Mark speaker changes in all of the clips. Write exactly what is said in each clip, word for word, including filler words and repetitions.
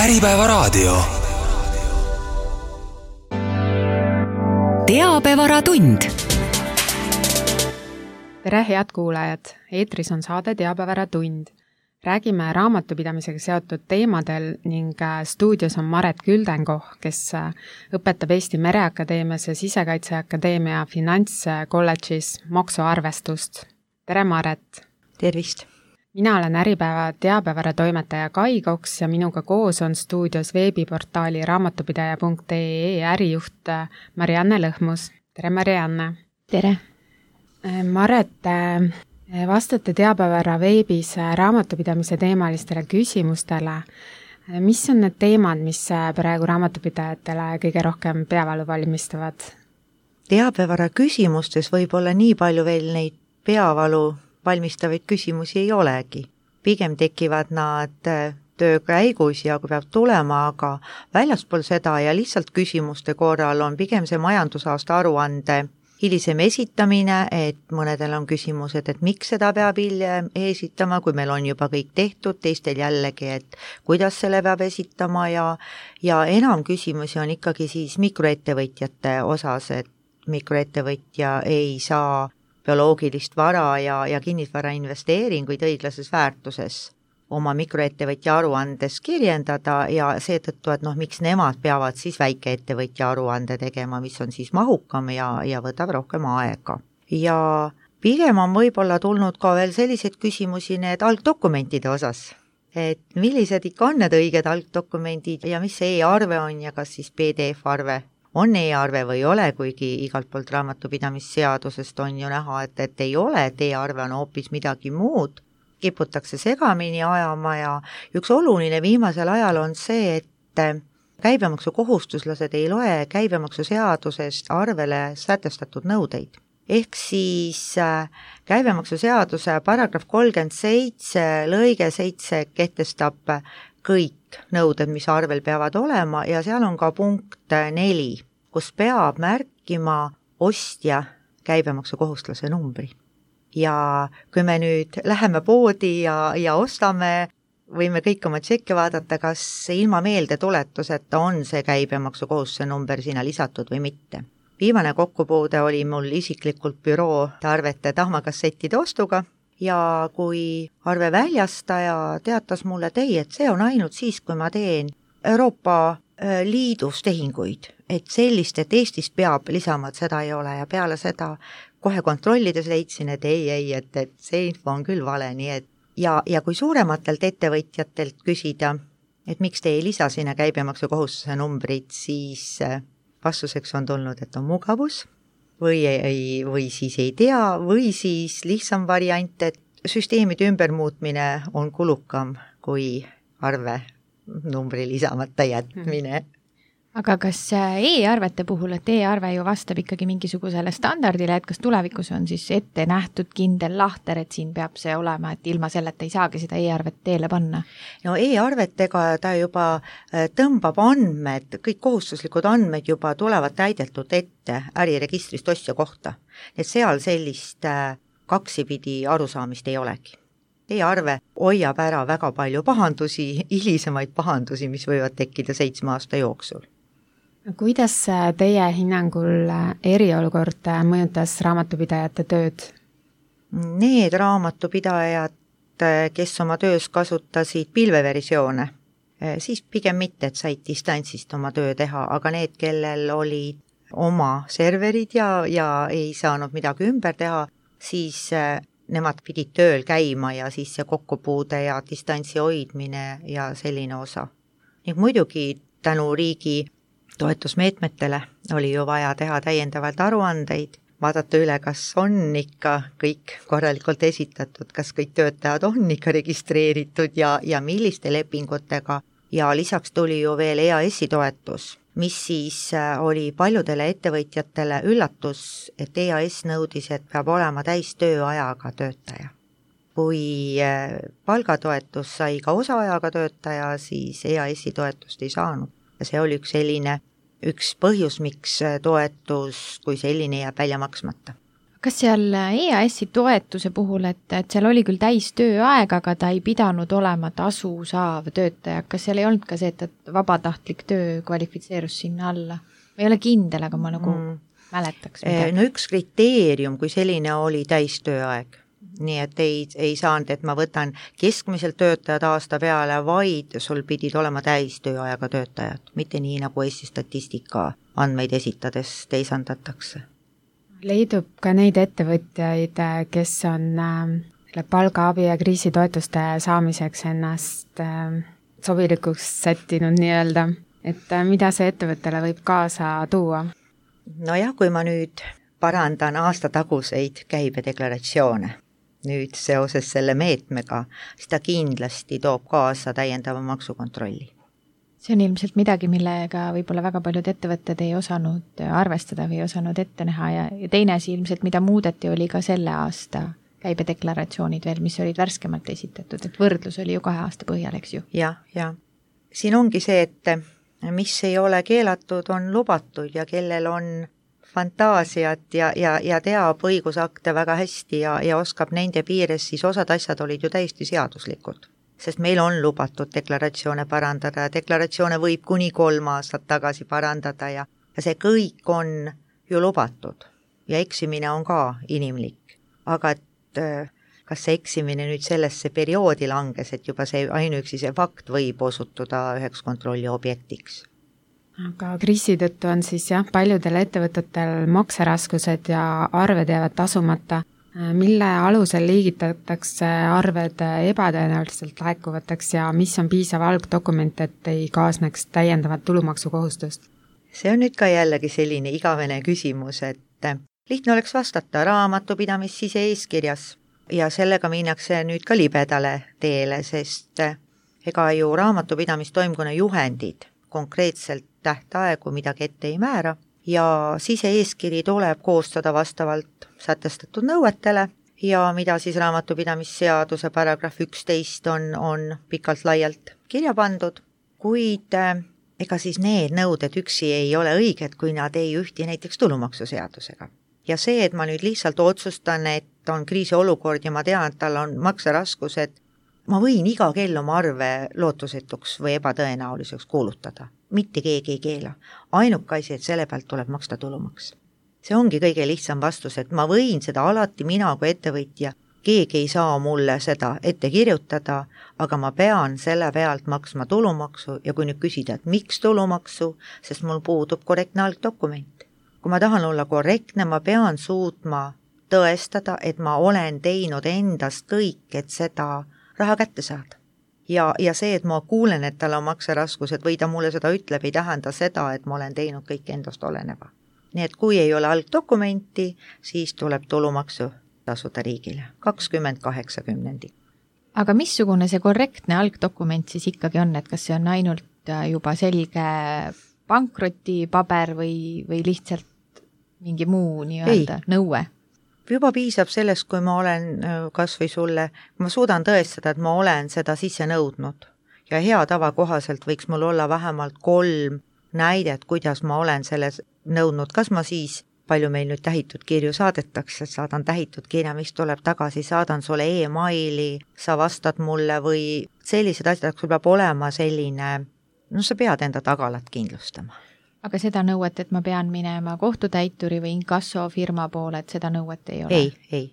Speaker 1: Äripäevaraadio.
Speaker 2: Teabevaratund.
Speaker 3: Tere, head kuulajad! Eetris on saade Teabevaratund. Räägime raamatupidamisega seotud teemadel ning stuudios on Maret Küldenkoh, kes õpetab Eesti Mereakadeemias ja Sisekaitseakadeemia finantskolledžis maksuarvestust. Tere, Maret!
Speaker 4: Tervist!
Speaker 3: Mina olen Äripäeva teabevaratoimetaja Kai Koks ja minuga koos on stuudios veebiportaali raamatupidaja punkt ee ärijuht Marianne Lõhmus. Tere, Marianne!
Speaker 4: Tere!
Speaker 3: Maret, vastate Teabevara veebis raamatupidamise teemalistele küsimustele. Mis on need teemad, mis praegu raamatupidajatele kõige rohkem peavalu valmistavad?
Speaker 4: Teabevara küsimustes võib olla nii palju veel neid peavalu valmistavaid küsimusi ei olegi. Pigem tekivad nad töö käigus ja kui peab tulema, aga väljaspool seda ja lihtsalt küsimuste korral on pigem see majandusaasta aruande hilisem esitamine, et mõnedel on küsimused, et miks seda peab hiljem esitama, kui meil on juba kõik tehtud, teistel jällegi, et kuidas selle peab esitama ja, ja enam küsimusi on ikkagi siis mikroettevõtjate osas, et mikroettevõtja ei saa bioloogilist vara ja, ja kinnisvara investeeringuid õiglases väärtuses oma mikroettevõtja aruandes kirjendada ja seetõttu, et noh, miks nemad peavad siis väikeettevõtja aruande tegema, mis on siis mahukam ja, ja võtab rohkem aega. Ja pigem on võib-olla tulnud ka veel selliseid küsimusi need algdokumentide osas, et millised ikka on need õiged algdokumendid ja mis see e-arve on ja kas siis P D F-arve on e-arve või ei ole, kuigi igalt poolt raamatupidamisseadusest on ju näha, et, et ei ole, et e-arve on hoopis midagi muud, kiputakse segamini ajama ja üks oluline viimasel ajal on see, et käibemaksukohustuslased ei loe käibemaksuseadusest arvele sätestatud nõudeid. Ehk siis käibemaksuseaduse paragrahv kolmkümmend seitse lõige seitse kehtestab kõik nõuded, mis arvel peavad olema ja seal on ka punkt neli, kus peab märkima ostja käibemaksukohustlase numbri. Ja kui me nüüd läheme poodi ja, ja ostame, võime kõik oma tšekke vaadata, kas ilma meeldetuletuseta on see käibemaksukohustuse number sinna lisatud või mitte. Viimane kokkupuude oli mul isiklikult büroo arvete tahmakassettide ostuga ja kui arve väljastaja teatas mulle, et ei, et see on ainult siis, kui ma teen Euroopa Liidus tehinguid, et sellist, et Eestis peab lisama, et seda ei ole ja peale seda kohe kontrollides leidsin, et ei, ei, et, et see info on küll vale, nii et ja, ja kui suurematelt ettevõtjatelt küsida, et miks te ei lisa sinna käibemaksukohustuse numbrit, siis vastuseks on tulnud, et on mugavus või, ei, või siis ei tea või siis lihtsam variant, et süsteemide ümbermuutmine on kulukam kui arve numbri lisamata jätmine.
Speaker 5: Aga kas e-arvete puhul, et e-arve ju vastab ikkagi mingisugusele standardile, et kas tulevikus on siis ette nähtud kindel lahter, et siin peab see olema, et ilma selleta ei saagi seda e-arvet teele panna? No e-arvetega ta juba tõmbab andmed, kõik kohustuslikud andmed juba tulevad täidetud ette äriregistrist ostja kohta. Et seal sellist kaksipidi arusaamist ei olegi. E-arve hoiab ära väga palju pahandusi, hilisemaid pahandusi, mis võivad tekkida seitsme aasta jooksul.
Speaker 3: Kuidas teie hinnangul eriolukord mõjutas raamatupidajate tööd?
Speaker 4: Need raamatupidajad, kes oma töös kasutasid pilveversioone, siis pigem mitte, et said distantsist oma töö teha, aga need, kellel olid oma serverid ja, ja ei saanud midagi ümber teha, siis nemad pidid tööl käima ja siis see kokkupuude ja distantsi hoidmine ja selline osa. Ning muidugi tänu riigi toetusmeetmetele oli ju vaja teha täiendavalt aruandeid, vaadata üle, kas on ikka kõik korralikult esitatud, kas kõik töötajad on ikka registreeritud ja, ja milliste lepingutega. Ja lisaks tuli ju veel E A S-i toetus, mis siis oli paljudele ettevõtjatele üllatus, et E A S nõudis, et peab olema täis tööajaga töötaja. Kui palgatoetus sai ka osaajaga töötaja, siis E A S-i toetust ei saanud. Ja see oli üks selline, üks põhjus, miks toetus kui selline jääb välja maksmata.
Speaker 5: kas seal E A S-i toetuse puhul, et, et seal oli küll täis tööaeg, aga ta ei pidanud olema tasu saav töötaja, kas seal ei olnud ka see, et, et vabatahtlik töö kvalifitseerus sinna alla? Ma ei ole kindel, aga ma nagu mm. mäletaks midagi.
Speaker 4: No üks kriteerium kui selline oli täis tööaeg. Nii et ei, ei saanud, et ma võtan keskmiselt töötajad aasta peale, vaid sul pidid olema täis tööajaga töötajad, mitte nii nagu Eesti statistika andmeid esitades teisandatakse.
Speaker 3: Leidub ka neid ettevõtjaid, kes on äh, palgaabi ja kriisitoetuste saamiseks ennast äh, sobilikuks sättinud nii-öelda, et äh, mida see ettevõttele võib kaasa tuua?
Speaker 4: Nojah, kui ma nüüd parandan aastataguseid käibedeklaratsioone, nüüd seoses selle meetmega, siis ta kindlasti toob kaasa täiendava maksukontrolli.
Speaker 5: See on ilmselt midagi, millega võib-olla väga paljud ettevõtted ei osanud arvestada või ei osanud ette näha ja, ja teine asi ilmselt, mida muudeti, oli ka selle aasta käibedeklaratsioonid veel, mis olid värskemalt esitatud, et võrdlus oli ju kahe aasta põhjal, eks ju?
Speaker 4: Jah, ja. Siin ongi see, et mis ei ole keelatud, on lubatud ja kellel on fantaasiat ja, ja, ja teab õigusakte väga hästi ja, ja oskab nende piires, siis osad asjad olid ju täiesti seaduslikud. Sest meil on lubatud deklaratsioone parandada ja deklaratsioone võib kuni kolm aastat tagasi parandada ja, ja see kõik on ju lubatud. Ja eksimine on ka inimlik. Aga et kas see eksimine nüüd sellesse perioodi langes, et juba see ainuüksi see fakt võib osutuda üheks kontrolli objektiks.
Speaker 3: Aga kriisi tõttu on siis jah, paljudel ettevõtetel makseraskused ja arved jäävad tasumata. Mille alusel liigitatakse arved ebatõenäoliselt laekuvateks ja mis on piisav algdokument, et ei kaasneks täiendavat tulumaksukohustust?
Speaker 4: See on nüüd ka jällegi selline igavene küsimus, et lihtne oleks vastata raamatupidamis sise-eeskirjas ja sellega minnakse nüüd ka libedale teele, sest ega ju raamatupidamis-toimkonna juhendid konkreetselt tähtaegu midagi ette ei määra ja sise-eeskiri tuleb koostada vastavalt sätestatud nõuetele ja mida siis raamatupidamisseaduse paragrahv üksteist on, on pikalt laialt kirja pandud, kuid ega siis need nõuded üksi ei ole õiged, kui nad ei ühti näiteks tulumaksuseadusega. Ja see, et ma nüüd lihtsalt otsustan, et on kriisiolukord ja ma tean, et tal on makseraskused, ma võin iga kell oma arve lootusetuks või ebatõenäoliseks kuulutada. Mitte keegi ei keela. Ainuke asi, et selle pealt tuleb maksta tulumaks. See ongi kõige lihtsam vastus, et ma võin seda alati mina kui ettevõtja, keegi ei saa mulle seda ette kirjutada, aga ma pean selle pealt maksma tulumaksu ja kui nüüd küsida, et miks tulumaksu, sest mul puudub korrektne algdokument. Kui ma tahan olla korrektne, ma pean suutma tõestada, et ma olen teinud endast kõik, et seda raha kätte saada. Ja, ja see, et ma kuulen, et tal on makseraskused või ta mulle seda ütleb, ei tähenda seda, et ma olen teinud kõik endast oleneva. Nii et kui ei ole algdokumenti, siis tuleb tulumaksu tasuda riigile. kakskümmend kaheksa kümnendi.
Speaker 5: Aga missugune see korrektne algdokument siis ikkagi on, et kas see on ainult juba selge pankrotipaber või, või lihtsalt mingi muu nii-öelda nõue?
Speaker 4: Juba piisab sellest, kui ma olen kas või sulle, ma suudan tõestada, et ma olen seda sisse nõudnud ja hea tava kohaselt võiks mul olla vähemalt kolm näidet, kuidas ma olen selles nõudnud, kas ma siis, palju meil nüüd tähitud kirju saadetakse, saadan tähitud kirja, mis tuleb tagasi, saadan sulle e-maili, sa vastad mulle või sellised asjad, sul peab olema selline, no sa pead enda tagalat kindlustama.
Speaker 5: Aga seda nõuet, et ma pean minema kohtutäituri või inkassofirma poole, et seda nõuet ei ole?
Speaker 4: Ei, ei.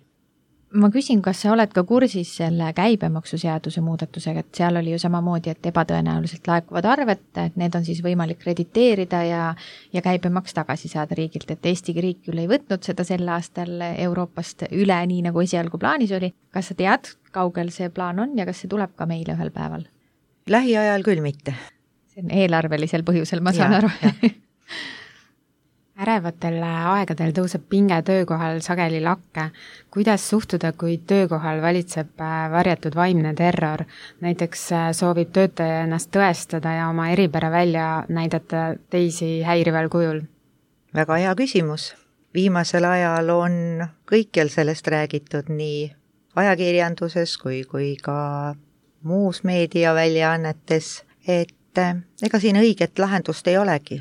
Speaker 5: Ma küsin, kas sa oled ka kursis selle käibemaksuseaduse muudatusega, et seal oli ju samamoodi, et ebatõenäoliselt laekuvad arved, et need on siis võimalik krediteerida ja, ja käibemaks tagasi saada riigilt, et Eesti riik küll ei võtnud seda sel aastal Euroopast üle, nii nagu esialgu plaanis oli. Kas sa tead, kaugel see plaan on ja kas see tuleb ka meile ühel päeval?
Speaker 4: Lähiajal küll mitte.
Speaker 5: See on eelarvelisel põhjusel, ma saan
Speaker 4: ja,
Speaker 5: aru.
Speaker 3: Ärevatel aegadel tõuseb pinge töökohal sageli lakke. Kuidas suhtuda, kui töökohal valitseb varjatud vaimne terror? Näiteks soovib töötaja ennast tõestada ja oma eripära välja näidata teisi häirival kujul?
Speaker 4: Väga hea küsimus. Viimasel ajal on kõikjal sellest räägitud nii ajakirjanduses kui, kui ka muus meediaväljaannetes, et ega siin õiget lahendust ei olegi.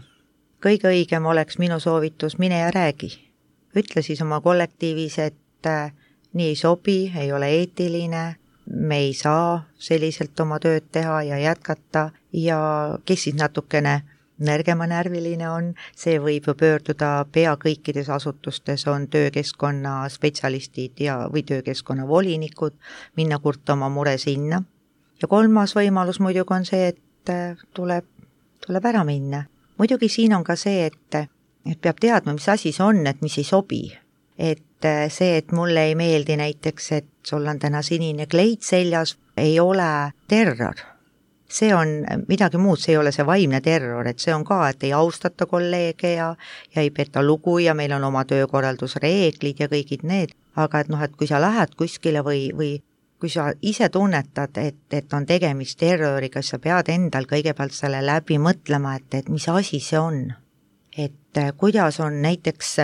Speaker 4: Kõige õigem oleks minu soovitus, mine ja räägi. ütle siis oma kollektiivis, et äh, nii ei sobi, ei ole eetiline, me ei saa selliselt oma tööd teha ja jätkata ja kes siis natukene nõrgema närviline on, see võib ju pöörduda pea kõikides asutustes, on töökeskkonna spetsialistid ja, või töökeskkonna volinikud, minna kurta oma mure sinna. Ja kolmas võimalus muidugi on see, et tuleb, tuleb ära minna. Muidugi siin on ka see, et, et peab teadma, mis asi see on, et mis ei sobi. Et see, et mulle ei meeldi näiteks, et sul on täna sinine kleit seljas, ei ole terror. See on midagi muud, see ei ole see vaimne terror, et see on ka, et ei austata kolleege ja, ja ei peta lugu ja meil on oma töökorraldusreeglid ja kõigid need, aga et noh, et kui sa lähed kuskile või, või kui sa ise tunnetad, et, et on tegemist terroriga, sa pead endal kõigepealt selle läbi mõtlema, et, et mis asi see on. Et kuidas on näiteks,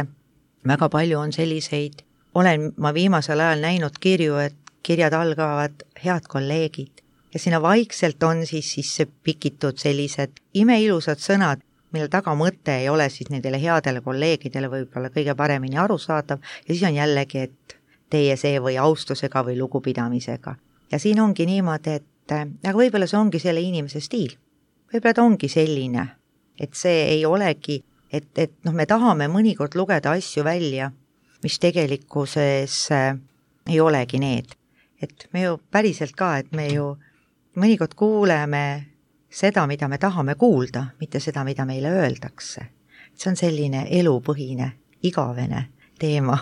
Speaker 4: väga palju on selliseid, olen ma viimasel ajal näinud kirju, et kirjad algavad head kolleegid. Ja sinna vaikselt on siis, siis pikitud sellised imeilusad sõnad, mille taga mõte ei ole siis nendele headele kolleegidele võib-olla kõige paremini arusaadav ja siis on jällegi, et teie see või austusega või lugupidamisega. Ja siin ongi niimoodi, et aga võib-olla see ongi selle inimese stiil. Võib-olla ta ongi selline, et see ei olegi, et, et noh, me tahame mõnikord lugeda asju välja, mis tegelikkuses ei olegi need. Et me ju päriselt ka, et me ju mõnikord kuuleme seda, mida me tahame kuulda, mitte seda, mida meile öeldakse. See on selline elupõhine, igavene teema.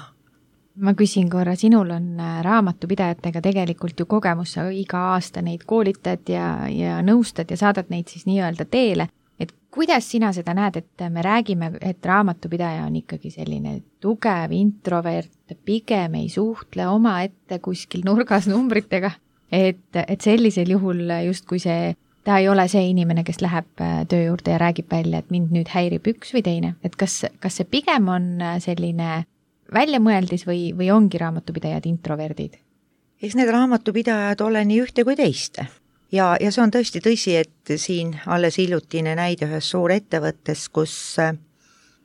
Speaker 5: Ma küsin korra, sinul on raamatupidajatega tegelikult ju kogemus, sa iga aasta neid koolitad ja, ja nõustad ja saadad neid siis nii-öelda teele. Et kuidas sina seda näed, et me räägime, et raamatupidaja on ikkagi selline tugev introvert, pigem ei suhtle oma ette kuskil nurgas numbritega? Et, et sellisel juhul justkui see, ta ei ole see inimene, kes läheb töö juurde ja räägib välja, et mind nüüd häirib üks või teine. Et kas, kas see pigem on selline väljamõeldis või, või ongi raamatupidajad introverdid?
Speaker 4: Eks need raamatupidajad ole nii ühte kui teiste. Ja, ja see on tõesti tõsi, et siin alles hiljutine näide ühes suur ettevõttes, kus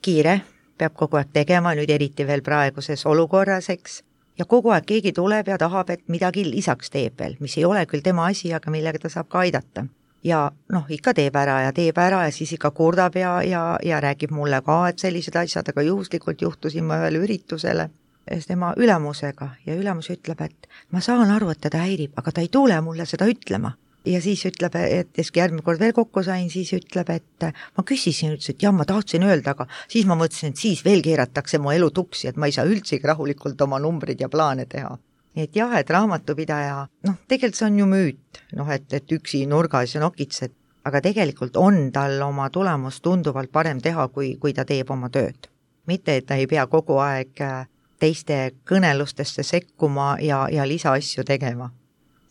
Speaker 4: kiire peab kogu aeg tegema, nüüd eriti veel praeguses olukorras, eks. Ja kogu aeg keegi tuleb ja tahab, et midagi lisaks teeb veel, mis ei ole küll tema asi, aga millega ta saab ka aidata. Ja noh, ikka teeb ära ja teeb ära ja siis ikka kurdab ja, ja, ja räägib mulle ka, et sellised asjad, aga juhuslikult juhtusin ma ühele üritusele tema ülemusega ja ülemus ütleb, et ma saan aru, et teda häirib, aga ta ei tule mulle seda ütlema. Ja siis ütleb, et järgmine kord veel kokku sain, siis ütleb, et ma küsisin, ütles, et jah, ma tahtsin öelda, aga siis ma mõtlesin, et siis veel keeratakse mu elu tuksi, et ma ei saa üldsegi rahulikult oma numbrid ja plaane teha. Nii et jah, et raamatupidaja, noh, tegelikult see on ju müüt, noh, et, et üksi nurgas ja nokitsed, aga tegelikult on tal oma tulemus tunduvalt parem teha, kui, kui ta teeb oma tööd. Mitte, et ta ei pea kogu aeg teiste kõnelustesse sekkuma ja, ja lisaasju tegema.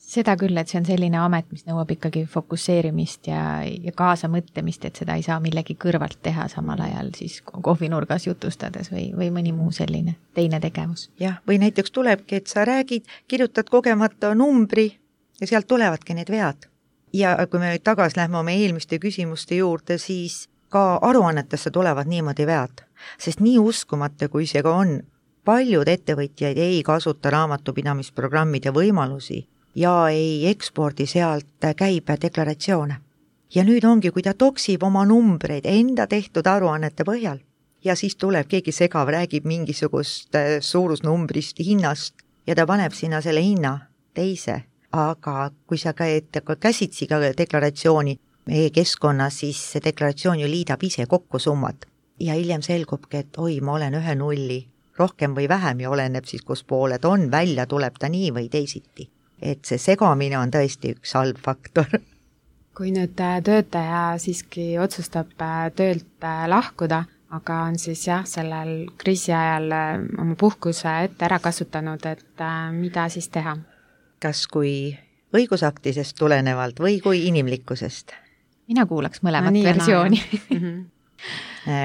Speaker 5: Seda küll, et see on selline amet, mis nõuab ikkagi fokusseerimist ja, ja kaasamõtlemist, et seda ei saa millegi kõrvalt teha samal ajal siis kohvinurgas jutustades või, või mõni muu selline teine tegevus.
Speaker 4: Jah, või näiteks tulebki, et sa räägid, kirjutad kogemata numbri ja sealt tulevadki need vead. Ja kui me nüüd tagasi lähme oma eelmiste küsimuste juurde, siis ka aruannetesse tulevad niimoodi vead, sest nii uskumata, kui see ka on, paljud ettevõtjaid ei kasuta raamatupidamisprogrammide võimalusi ja ei ekspordi sealt käibedeklaratsioone. Ja nüüd ongi, kui ta toksib oma numbreid enda tehtud aruannete põhjal ja siis tuleb keegi segav, räägib mingisugust suurusnumbrist, hinnast ja ta paneb sinna selle hinna teise. Aga kui sa käsitsi ka deklaratsiooni e-keskkonnas, siis see deklaratsioon ju liidab ise kokku summad. Ja hiljem selgubki, et oi, ma olen ühe nulli, rohkem või vähem ja oleneb siis, kus pooled on, välja tuleb ta nii või teisiti. Et see segamine on tõesti üks halb faktor.
Speaker 3: Kui nüüd töötaja siiski otsustab töölt lahkuda, aga on siis jah, sellel kriisi ajal oma puhkuse ette ära kasutanud, et mida siis teha?
Speaker 4: Kas kui õigusaktidest tulenevalt või kui inimlikkusest?
Speaker 5: Mina kuulaks mõlemat no, versiooni.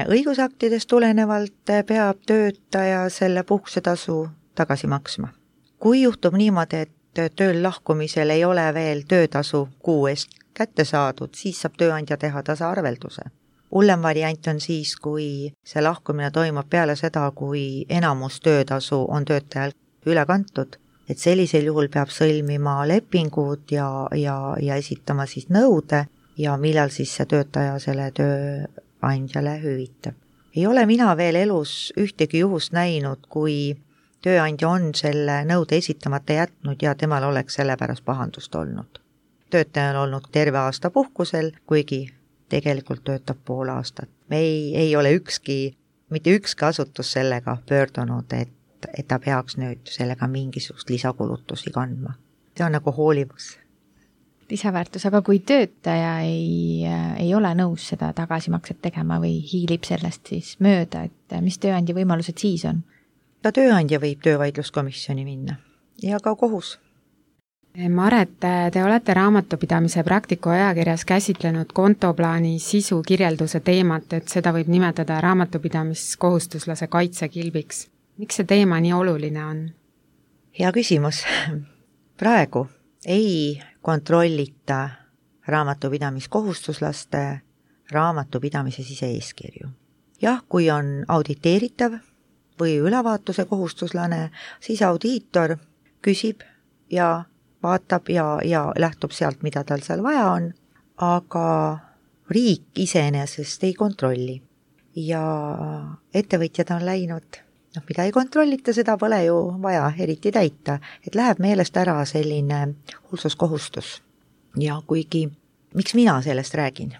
Speaker 4: Õigusaktidest tulenevalt peab töötaja selle puhkusetasu tagasi maksma. Kui juhtub niimoodi, et tööl lahkumisel ei ole veel töötasu kuu eest kätte saadud, siis saab tööandja teha tasaarvelduse. hullem variant on siis, kui see lahkumine toimub peale seda, kui enamus töötasu on töötajal üle kantud, et sellisel juhul peab sõlmima lepingud ja, ja, ja esitama siis nõude ja millal siis see töötaja selle tööandjale hüvitab. Ei ole mina veel elus ühtegi juhust näinud, kui tööandja on selle nõude esitamata jätnud ja temal oleks selle pärast pahandust olnud. Töötaja on olnud terve aasta puhkusel, kuigi tegelikult töötab pool aastat. Me ei, ei ole ükski, mitte ükski asutus sellega pöördunud, et, et ta peaks nüüd sellega mingisugust lisakulutusi kandma. See on nagu hoolivus.
Speaker 5: Lisaväärtus, aga kui töötaja ei, ei ole nõus seda tagasimakset tegema või hiilib sellest siis mööda, et mis tööandja võimalused siis on? Ka
Speaker 4: tööandja võib töövaidluskomisjoni minna ja ka kohus.
Speaker 3: Maret, te olete raamatupidamise praktiku ajakirjas käsitlenud kontoplaani sisu kirjelduse teemat, et seda võib nimetada raamatupidamiskohustuslase kaitsekilbiks. Miks see teema nii oluline on?
Speaker 4: Hea küsimus. Praegu ei kontrollita raamatupidamiskohustuslaste raamatupidamise sise-eeskirju. Jah, kui on auditeeritav või ülevaatuse kohustuslane, siis audiitor küsib ja vaatab ja, ja lähtub sealt, mida tal seal vaja on, aga riik iseenesest ei kontrolli. Ja ettevõtjad on läinud, noh, mida ei kontrollita, seda pole ju vaja eriti täita, et läheb meelest ära selline hoolsuskohustus. Ja kuigi, miks mina sellest räägin?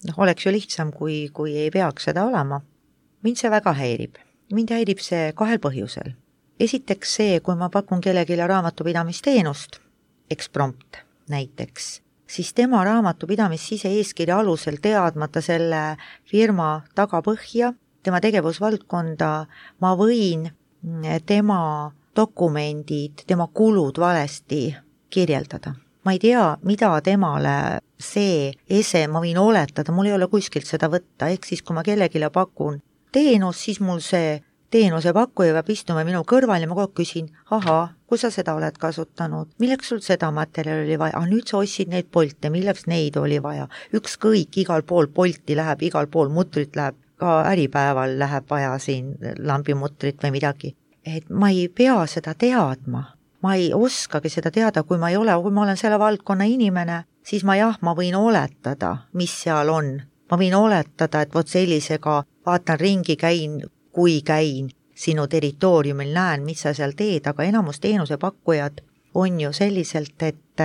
Speaker 4: Noh, oleks ju lihtsam, kui, kui ei peaks seda olema. Mind see väga häirib. Mind häirib see kahel põhjusel. Esiteks see, kui ma pakun kellelegi raamatupidamisteenust, eksprompt näiteks, siis tema raamatupidamis sise-eeskirja alusel teadmata selle firma tagapõhja, tema tegevusvaldkonda, ma võin tema dokumendid, tema kulud valesti kirjeldada. Ma ei tea, mida temale see ese, ma võin oletada, mul ei ole kuskilt seda võtta, ehk siis kui ma kellegile pakun teenus, siis mul see teenuse pakkuja peab istuma minu kõrval ja ma kogu küsin, ahaa, kui sa seda oled kasutanud, milleks sul seda materjali oli vaja, ah, nüüd sa ostsid neid polte, milleks neid oli vaja, ükskõik, igal pool polti läheb, igal pool mutrit läheb, ka äripäeval läheb vaja siin lambimutrit või midagi, et ma ei pea seda teadma, ma ei oskagi seda teada, kui ma ei ole, kui ma olen selle valdkonna inimene, siis ma jah, ma võin oletada, mis seal on, ma võin oletada, et vot sellisega vaatan ringi, käin, kui käin sinu territooriumil, näen, mis sa seal teed, aga enamus teenusepakkujad on ju selliselt, et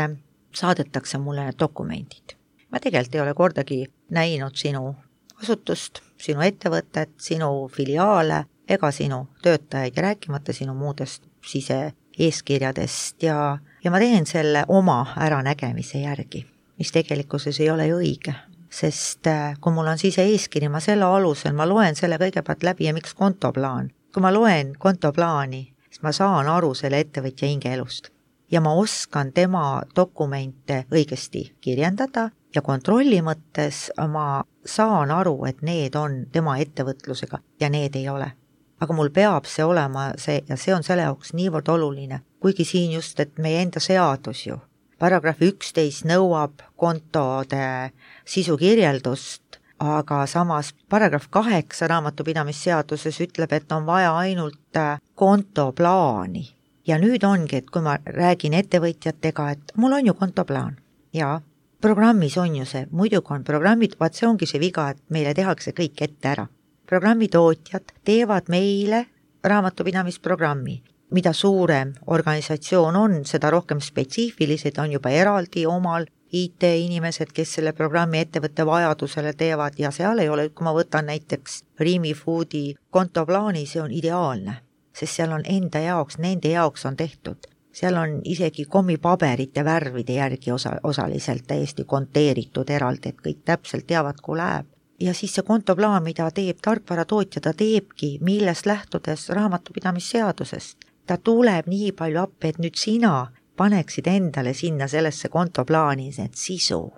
Speaker 4: saadetakse mulle need dokumendid. Ma tegelikult ei ole kordagi näinud sinu asutust, sinu ettevõtet, sinu filiaale ega sinu töötajaid ja rääkimata sinu muudest sise-eeskirjadest ja, ja ma teen selle oma äranägemise järgi, mis tegelikkuses ei ole ju õige. Sest kui mul on sise-eeskiri, ma selle alusel, ma loen selle kõigepealt läbi ja miks kontoplaan. Kui ma loen kontoplaani, siis ma saan aru selle ettevõtja hingeelust ja ma oskan tema dokumente õigesti kirjendada ja kontrolli mõttes ma saan aru, et need on tema ettevõtlusega ja need ei ole. Aga mul peab see olema see ja see on selle jaoks niivõrd oluline, kuigi siin just, et meie enda seadus ju paragrahv üksteist nõuab kontode sisukirjeldust, aga samas paragrahv kaheksa raamatupidamisseaduses ütleb, et on vaja ainult kontoplaani. Ja nüüd ongi, et kui ma räägin ettevõtjatega, et mul on ju kontoplaan ja programmis on ju see, muidugi on programmid, vaat see ongi see viga, et meile tehakse kõik ette ära. Programmitootjad teevad meile raamatupidamisprogrammi. Mida suurem organisatsioon on, seda rohkem spetsiifilised on juba eraldi omal I T-inimesed, kes selle programmi ettevõtte vajadusele teevad ja seal ei ole, kui ma võtan näiteks Rimi Foodi kontoplaani, see on ideaalne, sest seal on enda jaoks, nende jaoks on tehtud. Seal on isegi kommipaberite värvide järgi osa, osaliselt täiesti konteeritud eraldi, et kõik täpselt teavad, kui läheb. Ja siis see kontoplaan, mida teeb tarkvaratootja, ta teebki, millest lähtudes raamatupidamisseadusest. Ta tuleb nii palju appi, et nüüd sina paneksid endale sinna sellesse kontoplaani need sisu.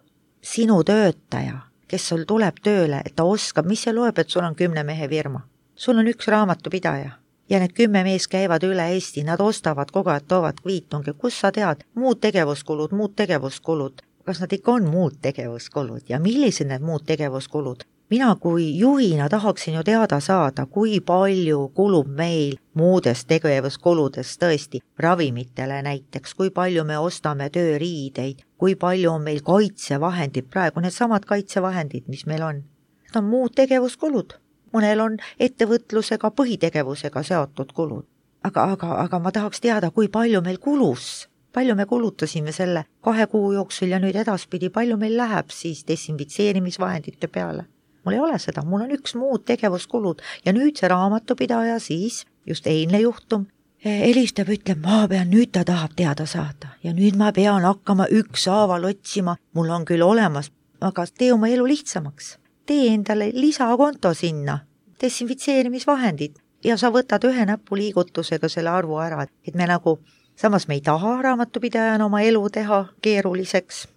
Speaker 4: Sinu töötaja, kes sul tuleb tööle, et ta oskab, mis see loeb, et sul on kümne mehe firma. Sul on üks raamatupidaja ja need kümme mees käivad üle Eesti, nad ostavad kogu aeg, toovad kviitungi, kus sa tead, muud tegevuskulud, muud tegevuskulud. Kas nad ikka on muud tegevuskulud ja millised need muud tegevuskulud? mina kui juhina tahaksin ju teada saada, kui palju kulub meil muudest tegevuskuludest tõesti ravimitele näiteks, kui palju me ostame tööriideid, kui palju on meil kaitsevahendid, praegu need samad kaitsevahendid, mis meil on. Need on muud tegevuskulud. Mõnel on ettevõtlusega, põhitegevusega seotud kulud. Aga, aga, aga ma tahaks teada, kui palju meil kulus, palju me kulutasime selle kahe kuu jooksul ja nüüd edaspidi, palju meil läheb siis desinfitseerimisvahendite peale. Mul ei ole seda, mul on üks muud tegevuskulud ja nüüd see raamatupidaja siis, just eilne juhtum, helistab, ütleb, ma pean, nüüd ta tahab teada saada ja nüüd ma pean hakkama ükshaaval otsima, mul on küll olemas, aga tee oma elu lihtsamaks. Tee endale lisakonto sinna, desinfitseerimisvahendid ja sa võtad ühe näpuliigutusega selle arvu ära, et me nagu, samas me ei taha raamatupidajana oma elu teha keeruliseks,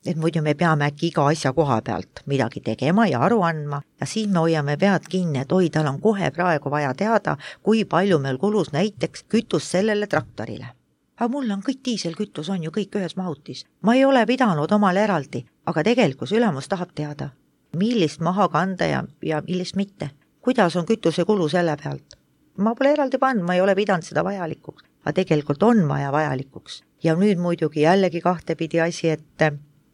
Speaker 4: et muidu me peame äkki iga asja koha pealt midagi tegema ja aru andma ja siin me hoiame pead kinni, et oi, tal on kohe praegu vaja teada, kui palju meil kulus näiteks kütus sellele traktorile. Aga mul on kõik diiselkütus, on ju kõik ühes mahutis. Ma ei ole pidanud omale eraldi, aga tegelikult ülemus tahab teada, millist maha kanda ja, ja millist mitte. Kuidas on kütuse kulu selle pealt? Ma pole eraldi pannud, ma ei ole pidanud seda vajalikuks, aga tegelikult on vaja vajalikuks. Ja nüüd muidugi jällegi kahtepidi asi, et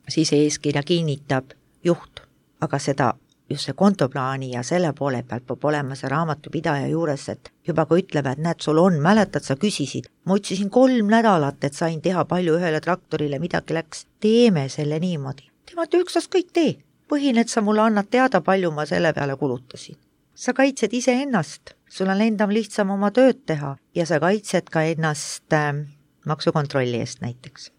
Speaker 4: siis eeskirja kinnitab juht, aga seda just see kontoplaani ja selle poole pealt peab olema see raamatupidaja juures, et juba kui ütleb, et näed, sul on, mäletad, sa küsisid, ma otsisin kolm nädalat, et sain teha palju ühele traktorile, midagi läks, teeme selle niimoodi. Tema üksast kõik tee, põhine, et sa mulle annad teada, palju ma selle peale kulutasin. Sa kaitsed ise ennast, sul on endam lihtsam oma tööd teha ja sa kaitsed ka ennast äh, maksukontrolli eest näiteks.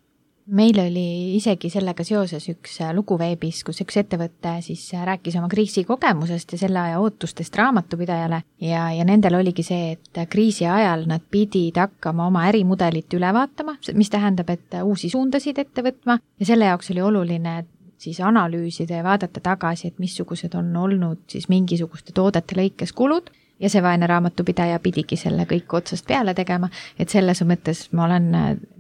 Speaker 5: Meil oli isegi sellega seoses üks lugu veebis, kus üks ettevõte siis rääkis oma kriisikogemusest ja selle aja ootustest raamatupidajale ja, ja nendel oligi see, et kriisi ajal nad pidid hakkama oma ärimudelit üle vaatama, mis tähendab, et uusi suundasid ette võtma ja selle jaoks oli oluline siis analüüsida ja vaadata tagasi, et missugused on olnud siis mingisuguste toodete lõikes kulud ja see vaene raamatupidaja pidigi selle kõik otsast peale tegema, et selles mõttes ma olen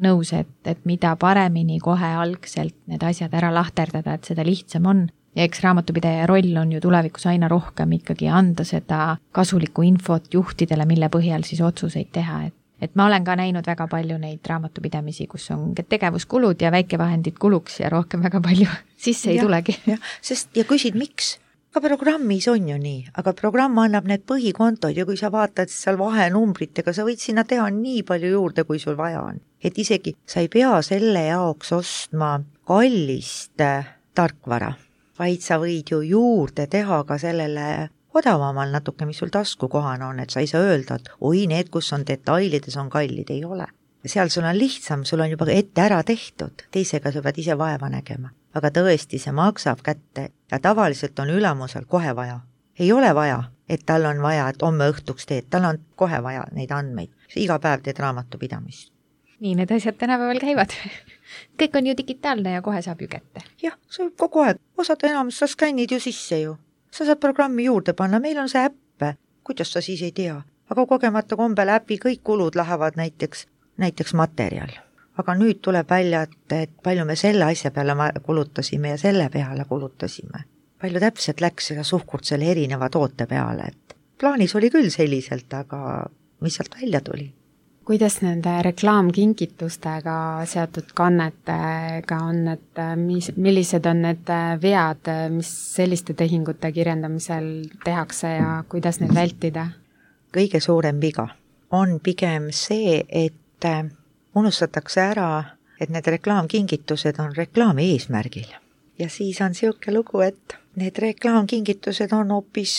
Speaker 5: nõus, et, et mida paremini kohe algselt need asjad ära lahterdada, et seda lihtsam on. Ja eks raamatupidaja roll on ju tulevikus aina rohkem ikkagi anda seda kasulikku infot juhtidele, mille põhjal siis otsuseid teha. Et, et ma olen ka näinud väga palju neid raamatupidamisi, kus on tegevuskulud ja väikevahendid kuluks ja rohkem väga palju sisse ei ja, tulegi.
Speaker 4: Ja, sest, ja küsid, miks? Ka programmis on ju nii, aga programm annab need põhikontod ja kui sa vaatad seal vahenumbritega, sa võid sinna teha nii palju juurde, kui sul vaja on. Et isegi sa ei pea selle jaoks ostma kallist tarkvara, vaid sa võid ju juurde teha ka sellele odavamal natuke, mis sul taskukohane on, et sa ei saa öelda, et oi, need, kus on detailides, on kallid, ei ole. Seal sul on lihtsam, sul on juba ette ära tehtud, teisega sa pead ise vaeva nägema. Aga tõesti, see maksab kätte ja tavaliselt on ülemusel kohe vaja. Ei ole vaja, et tal on vaja, et homme õhtuks teed, tal on kohe vaja neid andmeid. Iga päev teed raamatupidamist.
Speaker 5: Nii need asjad tänapäeval käivad. Kõik on ju digitaalne ja kohe saab ju kätte.
Speaker 4: Jah, see kogu aeg. Osad enamus, sa skännid ju sisse ju. Sa saad programmi juurde panna, meil on see äppe. Kuidas sa siis ei tea? Aga kogemata kombel äpi kõik kulud lähevad näiteks, näiteks materjal. Aga nüüd tuleb välja, et, et palju me selle asja peale kulutasime ja selle peale kulutasime. Palju täpselt läks seda suhkurt selle erineva toote peale, et plaanis oli küll selliselt, aga mis sealt välja tuli?
Speaker 3: Kuidas nende reklaamkingitustega seotud kannetega on, et mis, millised on need vead, mis selliste tehingute kirjendamisel tehakse ja kuidas neid vältida?
Speaker 4: Kõige suurem viga on pigem see, et unustatakse ära, et need reklaamkingitused on reklaami eesmärgil. Ja siis on siuke lugu, et need reklaamkingitused on hoopis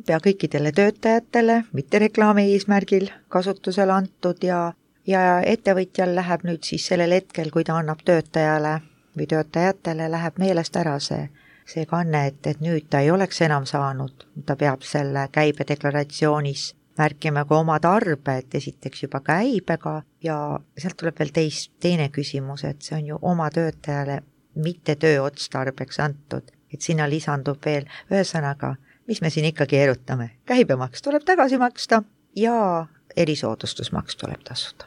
Speaker 4: pea kõikidele töötajatele, mitte reklaami eesmärgil kasutusele antud ja, ja ettevõtjal läheb nüüd siis sellel hetkel, kui ta annab töötajale või töötajatele, läheb meelest ära see, see kanne, et, et nüüd ta ei oleks enam saanud, ta peab selle käibedeklaratsioonis märkima ka oma tarbe, et esiteks juba käibega ja sealt tuleb veel teis, teine küsimus, et see on ju oma töötajale mitte tööotstarbeks antud, et sinna lisandub veel ühesõnaga, mis me siin ikkagi erutame. Käibemaks tuleb tagasi maksta ja erisoodustusmaks tuleb tasuda.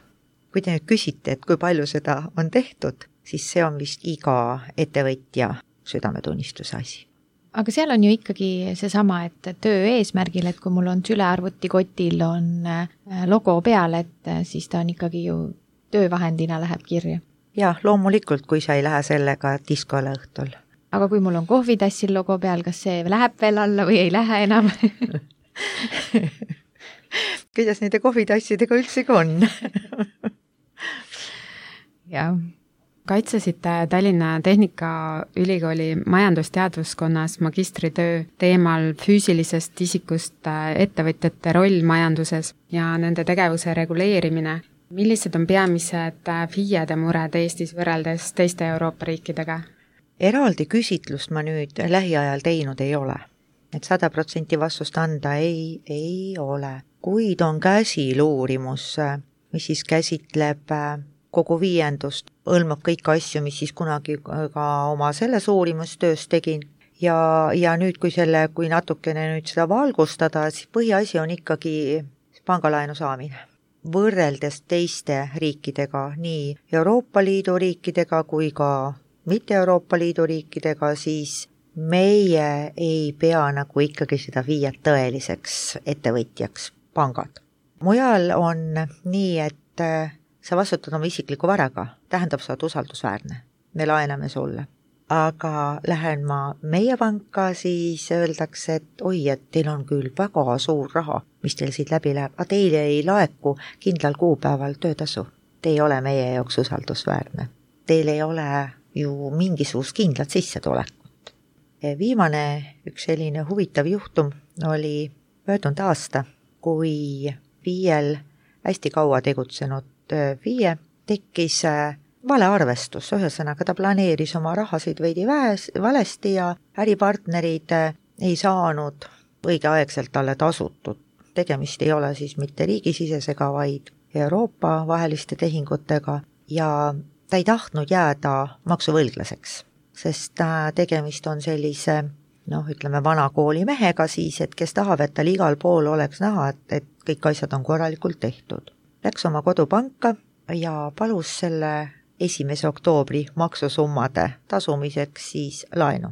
Speaker 4: Kui te nüüd küsite, et kui palju seda on tehtud, siis see on vist iga ettevõtja südametunnistuse asi.
Speaker 5: aga seal on ju ikkagi seesama, et töö eesmärgil, et kui mul on sülearvutikotil on logo peal, et siis ta on ikkagi ju töövahendina läheb kirja.
Speaker 4: Jah, loomulikult, kui sa ei lähe sellega diskole õhtul.
Speaker 5: Aga kui mul on kohvitassil logo peal, kas see läheb veel alla või ei lähe enam?
Speaker 4: Kuidas nende kohvitassidega üldsegi on?
Speaker 3: Jah. Kaitsesite Tallinna Tehnikaülikooli majandusteadvuskonnas magistritöö teemal füüsilisest isikust ettevõtjate roll majanduses ja nende tegevuse reguleerimine. Millised on peamised FIE-de mured Eestis võrreldes teiste Euroopa riikidega?
Speaker 4: Eraldi küsitlust ma nüüd lähiajal teinud ei ole. Et sada protsenti vastust anda ei, ei ole. Kuid on käsil uurimus, mis siis käsitleb kogu viiendust, hõlmab kõiki asju, mis siis kunagi ka oma selles uurimustöös tegin. Ja, ja nüüd, kui selle, kui natukene nüüd seda valgustada, siis põhiasi on ikkagi pangalaenu saamine. Võrreldes teiste riikidega, nii Euroopa Liidu riikidega kui ka mitte Euroopa Liidu riikidega, siis meie ei pea nagu ikkagi seda viia tõeliseks ettevõtjaks pangad. Mujal on nii, et sa vastutad oma isikliku varaga, tähendab, sa oled usaldusväärne. Me laename sulle. Aga lähen ma meie panka, siis öeldakse, et oi, et teil on küll väga suur raha, mis teil siit läbi läheb, aga teile ei laeku kindlal kuupäeval töötasu. Te ei ole meie jaoks usaldusväärne. Teil ei ole ju mingisugust kindlat sissetulekut. Viimane üks selline huvitav juhtum oli möödunud aasta, kui viiel hästi kaua tegutsenud FIE tekkis vale arvestus, ühesõnaga ta planeeris oma rahasid veidi väes, valesti ja äripartnerid ei saanud õigeaegselt talle tasutud. Tegemist ei ole siis mitte riigisisesega, vaid Euroopa vaheliste tehingutega ja ta ei tahtnud jääda maksuvõlglaseks, sest tegemist on sellise, noh, ütleme vana kooli mehega siis, et kes tahab, et tal igal pool oleks näha, et, et kõik asjad on korralikult tehtud. Läks oma kodupanka ja palus selle esimese oktoobri maksusummade tasumiseks siis laenu.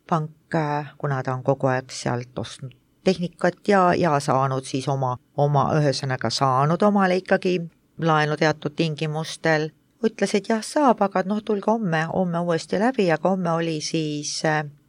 Speaker 4: Pank, kuna ta on kogu aeg sealt ostnud tehnikat ja, ja saanud siis oma, oma ühesõnaga saanud omale ikkagi laenu teatud tingimustel, ütles, et jah, saab, aga noh, tulge homme, homme uuesti läbi, aga homme oli siis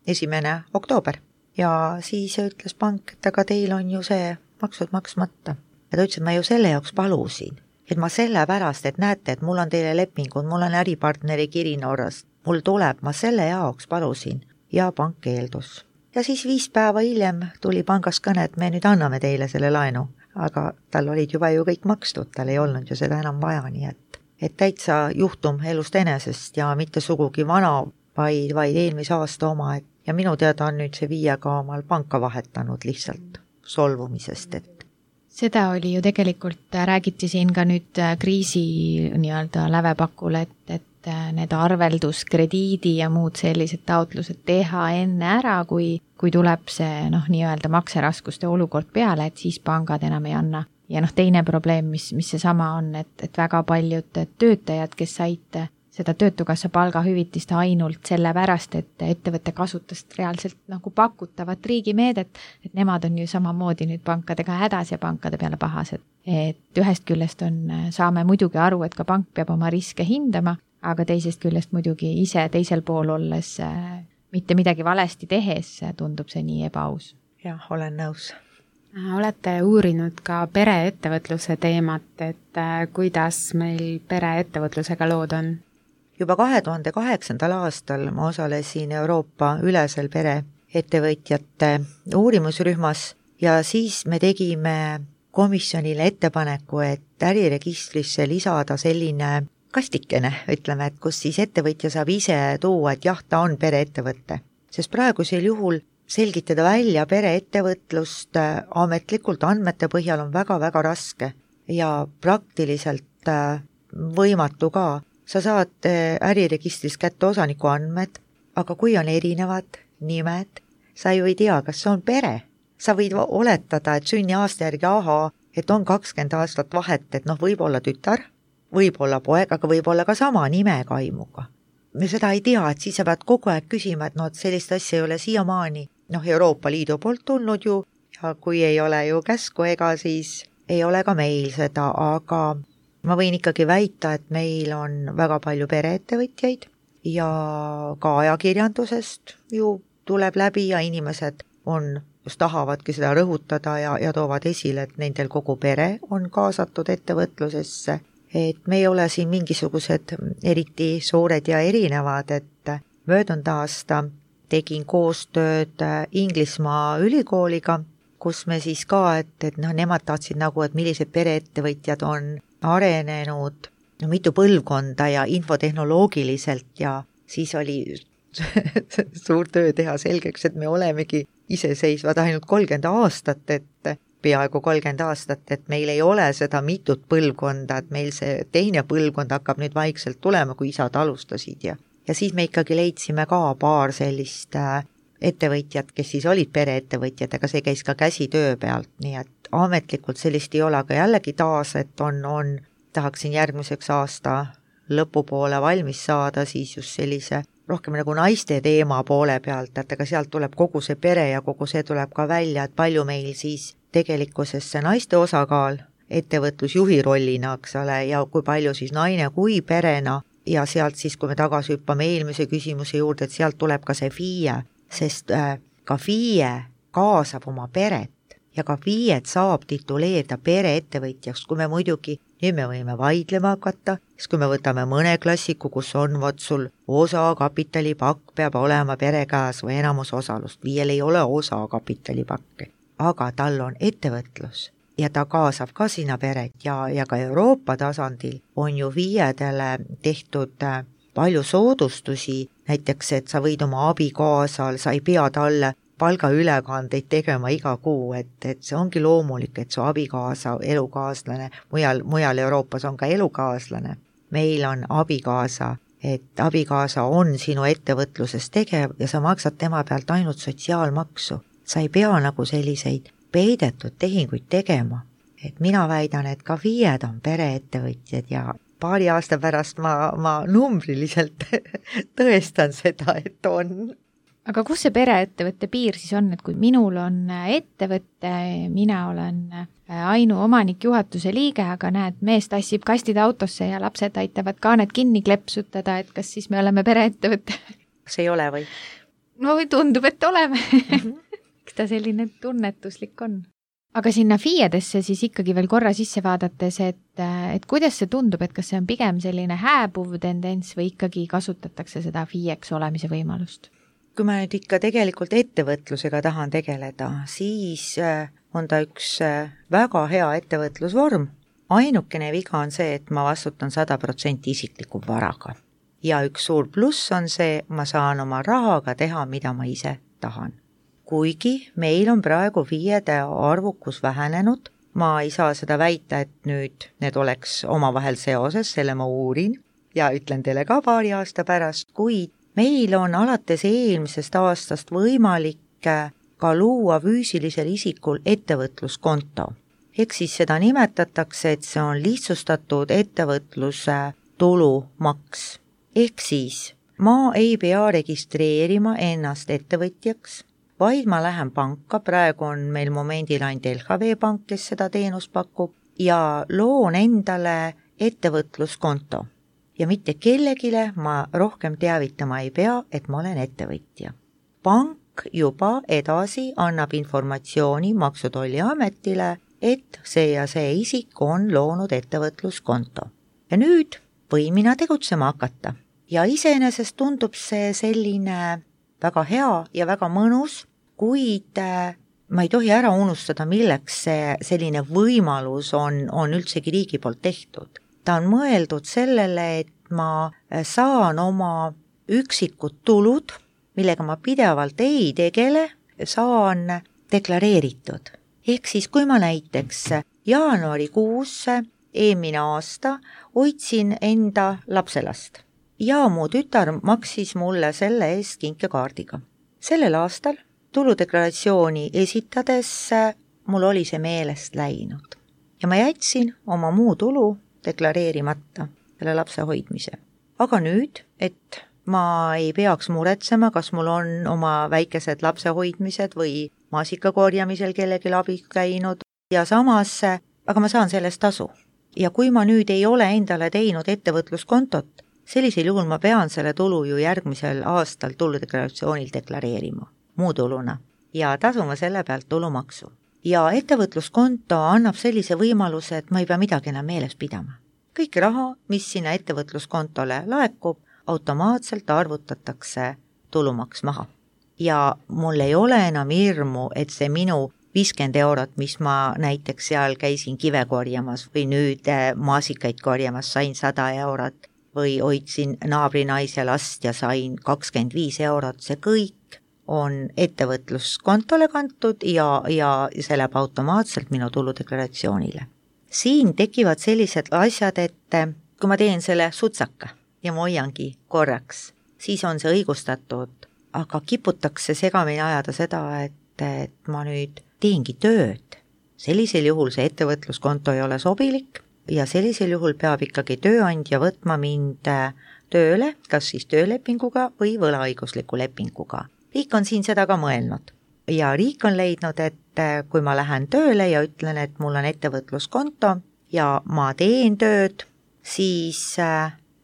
Speaker 4: esimene oktoober. Ja siis ütles pank, et aga teil on ju see maksud maksmata. Ja ta ütles, et ma ju selle jaoks palusin, et ma selle pärast, et näete, et mul on teile lepingud, mul on äripartneri kiri Norrast, mul tuleb, ma selle jaoks palusin ja pank keeldus. Ja siis viis päeva hiljem tuli pangast kõne, et me nüüd anname teile selle laenu, aga tal olid juba ju kõik makstud, tal ei olnud ju seda enam vaja, nii et, et täitsa juhtum elust enesest ja mitte sugugi vana, vaid, vaid eelmise aasta oma, et ja minu teada on nüüd see viie ka omal panka vahetanud lihtsalt solvumisest, et
Speaker 5: seda oli ju tegelikult, räägiti siin ka nüüd kriisi nii-öelda lävepakul, et, et need arvelduskrediidi ja muud sellised taotlused teha enne ära, kui, kui tuleb see noh, nii-öelda makseraskuste olukord peale, et siis pangad enam ei anna. Ja noh, teine probleem, mis, mis see sama on, et, et väga paljud töötajad, kes said seda töötukassa palgahüvitist ainult selle pärast, et ettevõte kasutas reaalselt nagu pakutavat riigimeedet, et nemad on ju samamoodi nüüd pankadega hädas ja pankade peale pahased. Et ühest küljest on, saame muidugi aru, et ka pank peab oma riske hindama, aga teisest küljest muidugi ise teisel pool olles mitte midagi valesti tehes tundub see nii ebaaus.
Speaker 4: Jah, olen nõus.
Speaker 3: Olete uurinud ka pereettevõtluse teemat, et kuidas meil pereettevõtlusega lood on?
Speaker 4: Juba kahe tuhande kaheksandal aastal ma osalesin Euroopa ülesel pereettevõtjate uurimusrühmas ja siis me tegime komisjonile ettepaneku, et äriregistrisse lisada selline kastikene, ütleme, et kus siis ettevõtja saab ise tuua, et jah, ta on pereettevõtte. Sest praegusel juhul selgitada välja pereettevõtlust ametlikult andmete põhjal on väga-väga raske ja praktiliselt võimatu ka. Sa saad äriregistris kätte osaniku andmed, aga kui on erinevad nimed, sa ju ei tea, kas see on pere. Sa võid oletada, et sünni aasta järgi aha, et on kakskümmend aastat vahet, et noh, võib olla tütar, võib olla poeg, aga võib olla ka sama nimekaimuga. Me seda ei tea, et siis sa pead kogu aeg küsima, et no, et sellist asja ei ole siiamaani noh, Euroopa Liidu poolt tulnud ju ja kui ei ole ju käsku, ega siis ei ole ka meil seda, aga ma võin ikkagi väita, et meil on väga palju pereettevõtjaid ja ka ajakirjandusest ju tuleb läbi ja inimesed on, just tahavadki seda rõhutada ja, ja toovad esile, et nendel kogu pere on kaasatud ettevõtlusesse. Et me ei ole siin mingisugused eriti suured ja erinevad, et möödunud aasta tegin koostööd Inglismaa ülikooliga, kus me siis ka, et, et noh, nemad tahtsid nagu, et millised pereettevõtjad on arenenud no, mitu põlvkonda ja infotehnoloogiliselt ja siis oli suur töö teha selgeks, et me olemegi iseseisvad ainult kolmkümmend aastat, et peaaegu kolmkümmend aastat, et meil ei ole seda mitut põlvkonda, et meil see teine põlvkond hakkab nüüd vaikselt tulema, kui isad alustasid ja, ja siis me ikkagi leidsime ka paar sellist ettevõtjad, kes siis olid pereettevõtjad, aga see käis ka käsitöö pealt, nii et ametlikult sellist ei ole, aga jällegi taas, et on, on, tahaksin järgmiseks aasta lõpupoole valmis saada, siis just sellise rohkem nagu naiste teema poole pealt, et aga sealt tuleb kogu see pere ja kogu see tuleb ka välja, et palju meil siis tegelikkuses see naiste osakaal ettevõtlusjuhi rollina, eks ole, ja kui palju siis naine kui perena ja sealt siis, kui me tagasi hüppame eelmise küsimuse juurde, et sealt tuleb ka see F I E, sest äh, ka F I E kaasab oma peret ja ka F I E-d saab tituleerida pereettevõtjaks, kui me muidugi, nüüd me võime vaidlema hakata, siis kui me võtame mõne klassiku, kus on vot sul osakapitalipakk peab olema pere käes või enamus osalust, F I E-l ei ole osakapitalipakki, aga tal on ettevõtlus ja ta kaasab ka sinna peret ja, ja ka Euroopa tasandil on ju F I E-dele tehtud palju soodustusi, näiteks, et sa võid oma abikaasal, sa ei pea talle palgaülekandeid tegema iga kuu, et, et see ongi loomulik, et su abikaasa, elukaaslane, mujal, mujal Euroopas on ka elukaaslane. Meil on abikaasa, et abikaasa on sinu ettevõtluses tegev ja sa maksad tema pealt ainult sotsiaalmaksu. Sa ei pea nagu selliseid peidetud tehinguid tegema. Et mina väidan, et ka F I E-d on pereettevõtjad ja paari aasta pärast ma, ma numbriliselt tõestan seda, et on.
Speaker 5: Aga kus see pereettevõtte piir siis on, et kui minul on ettevõtte, mina olen ainuomanik juhatuse liige, aga näed, mees tassib kastid autosse ja lapsed aitavad kaaned kinni klepsutada, et kas siis me oleme pereettevõtte?
Speaker 4: See ei ole või?
Speaker 5: No tundub, et oleme. Mm-hmm. Eks ta selline tunnetuslik on. Aga sinna F I E-desse siis ikkagi veel korra sisse vaadates, et, et kuidas see tundub, et kas see on pigem selline hääbuv tendents või ikkagi kasutatakse seda F I E-ks olemise võimalust?
Speaker 4: Kui ma nüüd ikka tegelikult ettevõtlusega tahan tegeleda, siis on ta üks väga hea ettevõtlusvorm. Ainukene viga on see, et ma vastutan sada protsenti isikliku varaga. Ja üks suur pluss on see, ma saan oma rahaga teha, mida ma ise tahan. Kuigi meil on praegu F I E-de arvukus vähenenud, ma ei saa seda väita, et nüüd need oleks omavahel seoses, selle ma uurin ja ütlen teile ka paari aasta pärast, kuid meil on alates eelmisest aastast võimalik ka luua füüsilisel isikul ettevõtluskonto. Ehk siis seda nimetatakse, et see on lihtsustatud ettevõtluse tulumaks. Ehk siis ma ei pea registreerima ennast ettevõtjaks, vaid ma lähen panka, praegu on meil momendil ainult L H V pank, kes seda teenust pakub, ja loon endale ettevõtluskonto. Ja mitte kellegile ma rohkem teavitama ei pea, et ma olen ettevõtja. Pank juba edasi annab informatsiooni Maksu- ja Tolliametile, et see ja see isik on loonud ettevõtluskonto. Ja nüüd või mina tegutsema hakata. Ja iseenesest tundub see selline väga hea ja väga mõnus, kuid ma ei tohi ära unustada, milleks see selline võimalus on, on üldsegi riigi poolt tehtud. Ta on mõeldud sellele, et ma saan oma üksikud tulud, millega ma pidevalt ei tegele, saan deklareeritud. Ehk siis, kui ma näiteks jaanuarikuus eelmine aasta hoidsin enda lapselast ja mu tütar maksis mulle selle eest kinkekaardiga. Sellel aastal tuludeklaratsiooni esitades mul oli see meelest läinud ja ma jätsin oma muu tulu deklareerimata selle lapse hoidmise. Aga nüüd, et ma ei peaks muretsema, kas mul on oma väikesed lapsehoidmised või maasikakorjamisel kellelgi abiks käinud ja samas, aga ma saan sellest tasu. Ja kui ma nüüd ei ole endale teinud ettevõtluskontot, sellisel juhul ma pean selle tulu ju järgmisel aastal tuludeklaratsioonil deklareerima muu tuluna ja tasuma selle pealt tulumaksu. Ja ettevõtluskonto annab sellise võimaluse, et ma ei pea midagi enam meeles pidama. Kõik raha, mis sinna ettevõtluskontole laekub, automaatselt arvutatakse tulumaks maha. Ja mul ei ole enam hirmu, et see minu viiskümmend eurot, mis ma näiteks seal käisin kive korjamas või nüüd maasikaid korjamas, sain sada eurot või hoidsin naabrinaise last ja sain kakskümmend viis eurot, see kõik on ettevõtluskontole kantud ja, ja see läheb automaatselt minu tuludeklaratsioonile. Siin tekivad sellised asjad, et kui ma teen selle sutsaka ja ma hoiangi korraks, siis on see õigustatud, aga kiputakse segamini ajada seda, et, et ma nüüd teengi tööd. Sellisel juhul see ettevõtluskonto ei ole sobilik ja sellisel juhul peab ikkagi tööandja võtma mind tööle, kas siis töölepinguga või võlaõigusliku lepinguga. Riik on siin seda ka mõelnud ja riik on leidnud, et kui ma lähen tööle ja ütlen, et mul on ettevõtluskonto ja ma teen tööd, siis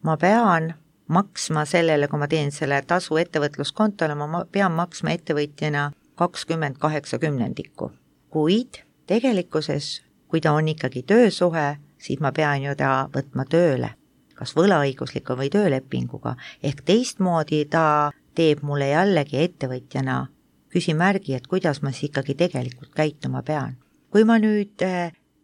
Speaker 4: ma pean maksma sellele, kui ma teen selle tasu ettevõtluskontole, ma pean maksma ettevõtjana kakskümmend kaheksa kümnendikku. Kuid tegelikkuses, kui ta on ikkagi töösuhe, siis ma pean ju ta võtma tööle, kas võlaõigusliku või töölepinguga, ehk teistmoodi ta teeb mulle jällegi ettevõtjana küsimärgi, et kuidas ma siis ikkagi tegelikult käituma pean. Kui ma nüüd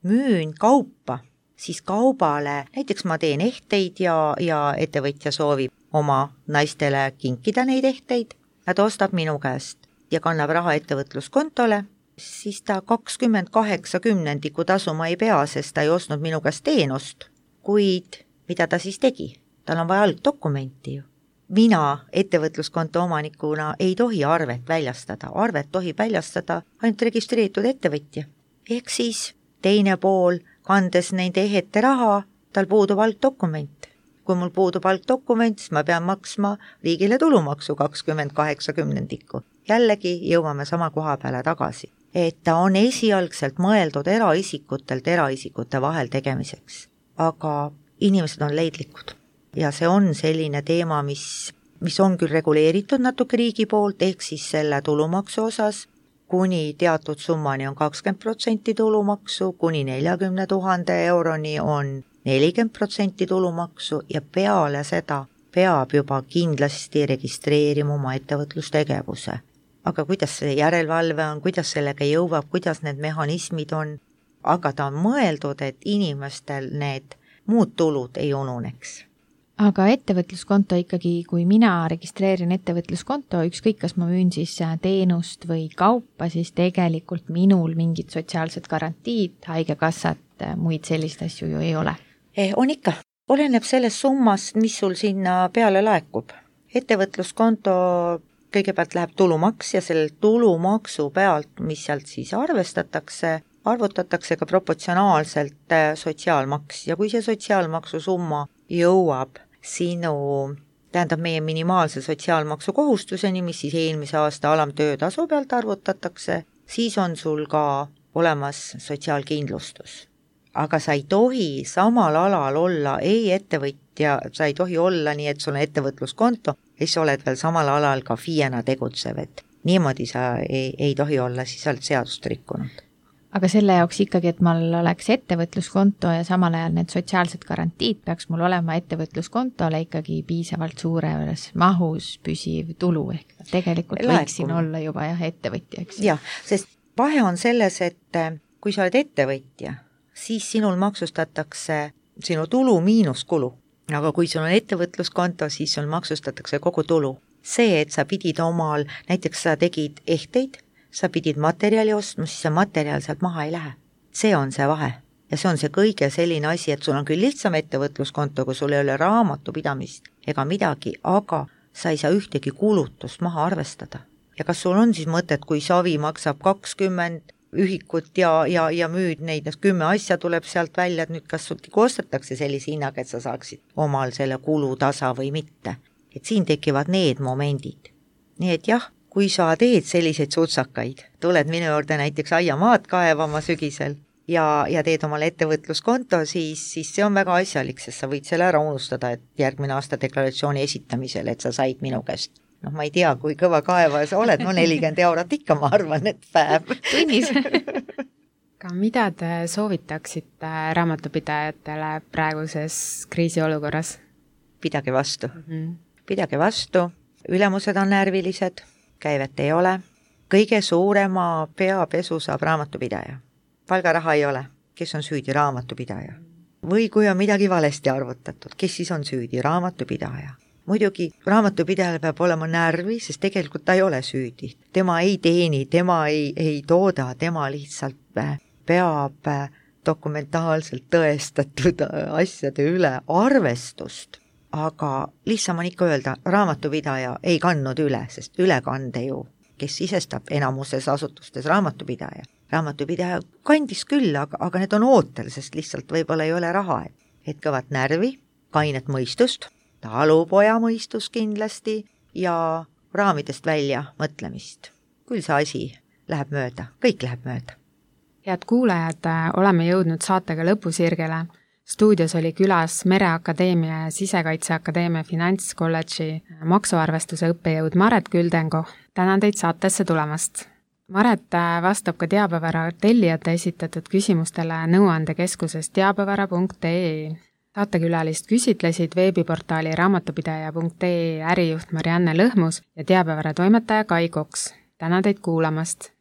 Speaker 4: müün kaupa, siis kaubale, näiteks ma teen ehteid ja, ja ettevõtja soovib oma naistele kinkida neid ehteid, nad ostab minu käest ja kannab raha ettevõtluskontole, siis ta kakskümmend kaheksa kümnendiku tasu ma ei pea, sest ta ei ostnud minu käest teenust. Kuid mida ta siis tegi? Tal on vaja algdokumenti ju. Mina ettevõtluskonto omanikuna ei tohi arvet väljastada. Arvet tohib väljastada ainult registreeritud ettevõtja. Ehk siis teine pool, kandes nende ehete raha, tal puudub algdokument. Kui mul puudub algdokument, siis ma pean maksma riigile tulumaksu kakskümmend kaheksa kümnendikku. Jällegi jõuame sama koha peale tagasi. Et ta on esialgselt mõeldud eraisikutelt eraisikute vahel tegemiseks. Aga inimesed on leidlikud. Ja see on selline teema, mis, mis on küll reguleeritud natuke riigi poolt, ehk siis selle tulumaksu osas, kuni teatud summani on kakskümmend protsenti tulumaksu, kuni neljakümne tuhande euroni on nelikümmend protsenti tulumaksu ja peale seda peab juba kindlasti registreerima oma ettevõtlustegevuse. Aga kuidas see järelevalve on, kuidas sellega jõuab, kuidas need mehhanismid on, aga ta on mõeldud, et inimestel need muud tulud ei ununeks.
Speaker 5: Aga ettevõtluskonto ikkagi, kui mina registreerin ettevõtluskonto, ükskõik kas ma müün siis teenust või kaupa, siis tegelikult minul mingid sotsiaalsed garantiid, haigekassat, muid sellist asju ju ei ole.
Speaker 4: Eh, on ikka. Oleneb sellest summast, mis sul sinna peale laekub. Ettevõtluskonto kõigepealt läheb tulumaks ja selle tulumaksu pealt, mis sealt siis arvestatakse, arvutatakse ka proportsionaalselt sotsiaalmaks ja kui see sotsiaalmaksu summa jõuab sinu, tähendab meie minimaalse sotsiaalmaksu kohustuseni, mis siis eelmise aasta alamtöötasu pealt arvutatakse, siis on sul ka olemas sotsiaalkindlustus. Aga sa ei tohi samal alal olla ei ettevõtja, sa ei tohi olla nii, et sul on ettevõtluskonto, ja siis oled veel samal alal ka FIE-na tegutsev, et niimoodi sa ei, ei tohi olla, siis oled seadust rikkunud.
Speaker 5: Aga selle jaoks ikkagi, et mul oleks ettevõtluskonto ja samal ajal need sotsiaalsed garantiid, peaks mul olema ettevõtluskontole ikkagi piisavalt suures mahus püsiv tulu, ehk tegelikult Laekum. Võiksin olla juba jah, ettevõtja, eks?
Speaker 4: Jah, sest vahe on selles, et kui sa oled ettevõtja, siis sinul maksustatakse sinu tulu miinus kulu. Aga kui sul on ettevõtluskonto, siis sul maksustatakse kogu tulu. See, et sa pidid omal, näiteks sa tegid ehteid, sa pidid materjali ostma, siis see materjal sealt maha ei lähe. See on see vahe. Ja see on see kõige selline asi, et sul on küll lihtsam ettevõtluskonto, kui sul ei ole raamatupidamist ega midagi, aga sa ei saa ühtegi kulutust maha arvestada. Ja kas sul on siis mõtet, kui savi maksab kakskümmend ühikut ja, ja, ja müüd neid, kümme asja tuleb sealt välja, et nüüd kas sul ostetakse sellise hinnaga, et sa saaksid omal selle kulutasa või mitte. et siin tekivad need momendid. Nii et jah, kui sa teed selliseid sutsakaid, tuled minu juurde näiteks aiamaad kaevama sügisel ja, ja teed omale ettevõtluskonto, siis, siis see on väga asjalik, sest sa võid selle ära unustada, et järgmine aasta deklaratsiooni esitamisel, et sa said minu käest. Noh, ma ei tea, kui kõva kaevaja sa oled, no nelikümmend eurot ikka, ma arvan, et päev.
Speaker 5: Tunnis.
Speaker 3: Ka mida te soovitaksite raamatupidajatele praeguses kriisiolukorras?
Speaker 4: Pidage vastu.
Speaker 3: Mm-hmm.
Speaker 4: Pidage vastu, ülemused on närvilised, käivet ei ole. Kõige suurema peapesu saab raamatupidaja. Palgaraha ei ole, kes on süüdi raamatupidaja. Või kui on midagi valesti arvutatud, kes siis on süüdi raamatupidaja. Muidugi raamatupidajale peab olema närvi, sest tegelikult ta ei ole süüdi. Tema ei teeni, tema ei, ei tooda, tema lihtsalt peab dokumentaalselt tõestatud asjade üle arvestust. Aga lihtsam on ikka öelda, raamatupidaja ei kandnud üle, sest ülekande ju, kes sisestab enamuses asutustes raamatupidaja. Raamatupidaja kandis küll, aga, aga need on ootel, sest lihtsalt võib-olla ei ole raha. Et kõvat närvi, kainet mõistust, talupoja mõistus kindlasti ja raamidest välja mõtlemist. Küll see asi läheb mööda, kõik läheb mööda.
Speaker 3: Head kuulajad, oleme jõudnud saatega lõpusirgele. Stuudios oli külas Mereakadeemia ja Sisekaitseakadeemia Finantskolledži maksuarvestuse õppejõud Maret Küldenko. Tänan teid saatesse tulemast. Maret vastab ka Teabevara tellijate esitatud küsimustele nõuandekeskuses teabevara punkt ee. Saatekülalist küsitlesid veebiportaali raamatupidaja punkt ee ärijuht Marianne Lõhmus ja Teabevara toimetaja Kai Koks. Tänan teid kuulamast!